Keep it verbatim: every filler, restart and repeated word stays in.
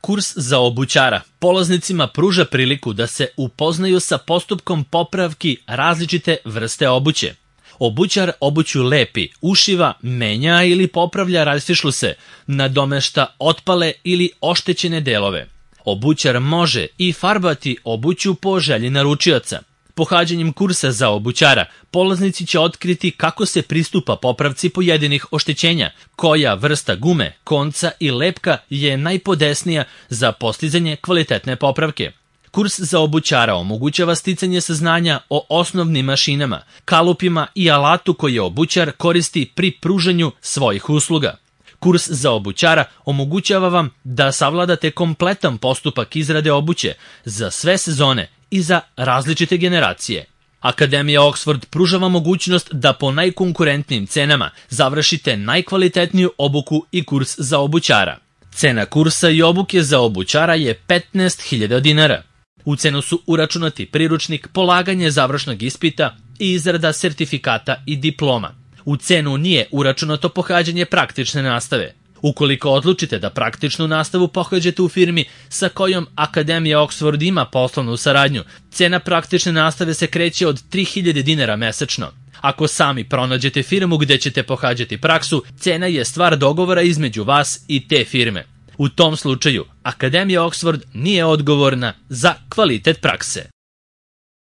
Kurs za obućara polaznicima pruža priliku da se upoznaju sa postupkom popravki različite vrste obuće. Obućar obuću lepi, ušiva, menja ili popravlja rastišluse, nadomešta otpale ili oštećene delove. Obućar može i farbati obuću po želji naručioca. Pohađanjem kursa za obućara, polaznici će otkriti kako se pristupa popravci pojedinih oštećenja, koja vrsta gume, konca i lepka je najpodesnija za postizanje kvalitetne popravke. Kurs za obućara omogućava sticanje saznanja o osnovnim mašinama, kalupima i alatu koje obućar koristi pri pružanju svojih usluga. Kurs za obućara omogućava vam da savladate kompletan postupak izrade obuće za sve sezone i za različite generacije. Akademija Oxford pruža vam mogućnost da po najkonkurentnijim cenama završite najkvalitetniju obuku i kurs za obućara. Cena kursa i obuke za obućara je petnaest hiljada dinara. U cenu su uračunati priručnik, polaganje završnog ispita i izrada sertifikata i diploma. U cenu nije uračunato pohađanje praktične nastave. Ukoliko odlučite da praktičnu nastavu pohađate u firmi sa kojom Akademija Oxford ima poslovnu saradnju, cena praktične nastave se kreće od tri hiljade dinara mesečno. Ako sami pronađete firmu gde ćete pohađati praksu, cena je stvar dogovora između vas i te firme. U tom slučaju, Akademija Oxford nije odgovorna za kvalitet prakse.